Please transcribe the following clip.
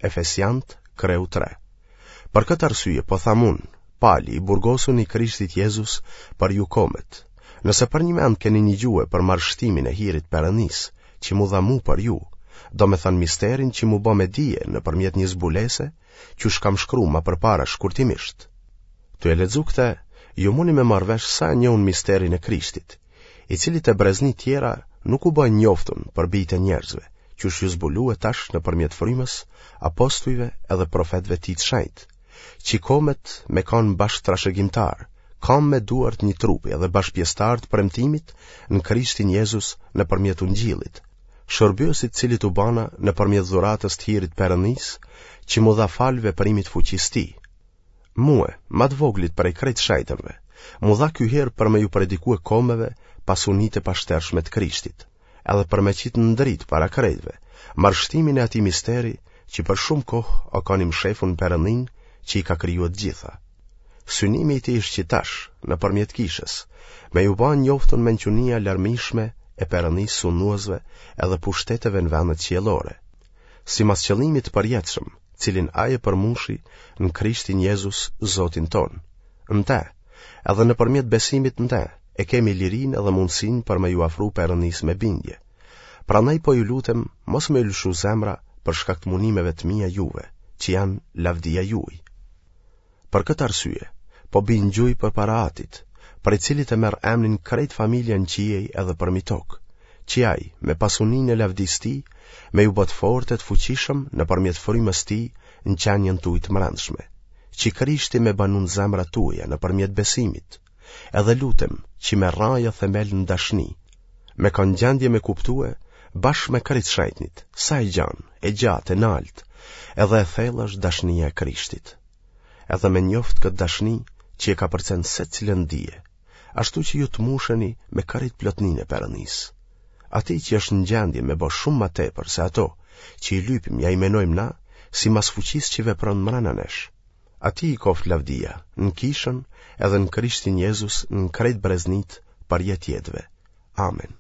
Efesiant, kreu 3. Për këtë arsye, po tham unë, Pali, i burgosuni i Krishtit Jezus për ju komet. Nëse përnjimend keni nigjue për marrështimin e hirit Perënisë, që m'u dha mu për ju, domethënë misterin që m'u bë me dije nëpërmjet një zbulese, qysh kam shkru ma përpara shkurtimisht. Tu e lexu këtë, ju muni me marrë vesh sa e njoh unë misterin e Krishtit, i cili te brezni tjera nuk u bë i njoftun për bijtë e njerëzve, qysh ju zbulue tash nëpërmjet frymës, apostujve edhe profetëve tij të shenjtë, që komet me kanë bashkëtrashëgimtarë, kamë me duar të një trupi edhe bashkëpjesëtarë të premtimit në Krishtin Jezus nëpërmjet Ungjillit, shërbyes i të cilit u bana nëpërmjet dhuratës të hirit Perëndisë, që m'u dha falë veprimit fuqisë tij. Mue, ma të voglit prej krejt shejtërve, m'u dha ky hir për me ju predikue komeve pasunitë e pashtershme të Krishtit, edhe për me qitë në dritë para krejtve, marrështimin e atij misteri që për shumë kohë o kanë i mshefun në Perëndinë që i ka krijue të gjitha. Synimi i tij është që tash, nëpërmjet kishës, me ju ba njoftun mençunia e larmishme e Perëndisë sunduesve edhe pushteteve në vendet qiellore, simas qëllimit të përjetshëm, cilin ai e përmushi në Krishtin Jezus, Zotin tonë. Në te, edhe nëpërmjet besimit në te, e kemi lirinë edhe mundësinë për me ju afru Perëndisë me bindje. Prandaj po ju lutem, mos me ju lëshu zemra për shkak të munimeve të mia juve, që janë lavdia juaj. Për këtë arsye, po bij në gjuj përpara Atit, prej cilit e merr emnin krejt familja në qiej edhe përmi tokë, që ai, me pasuninë e lavdisë tij, me ju bë të fortë e të fuqishëm nëpërmjet frymës tij në qenien tuaj të mbrendshme, që Krishti me banu në zemrat tuaja nëpërmjet besimit, edhe lutem që me rrajë e themel në dashni, me kanë n'gjendje me kuptue bashkë me krejt shejtnit, sa e gjanë, e gjatë, e naltë, edhe e thellë është dashnia e Krishtit. Edhe me njoft këtë dashni që e kapërcen secilën dije, ashtu që ju të musheni me krejt plotninë e Perëndisë. Atij që është në gjendje me bo shumë ma tepër se ato që i lypim ja i menojmë na, simas fuqisë që vepron mrena nesh. Atij i koftë lavdia, në kishën edhe në Krishtin Jezus në krejt breznitë përjetë jetëve. Amen.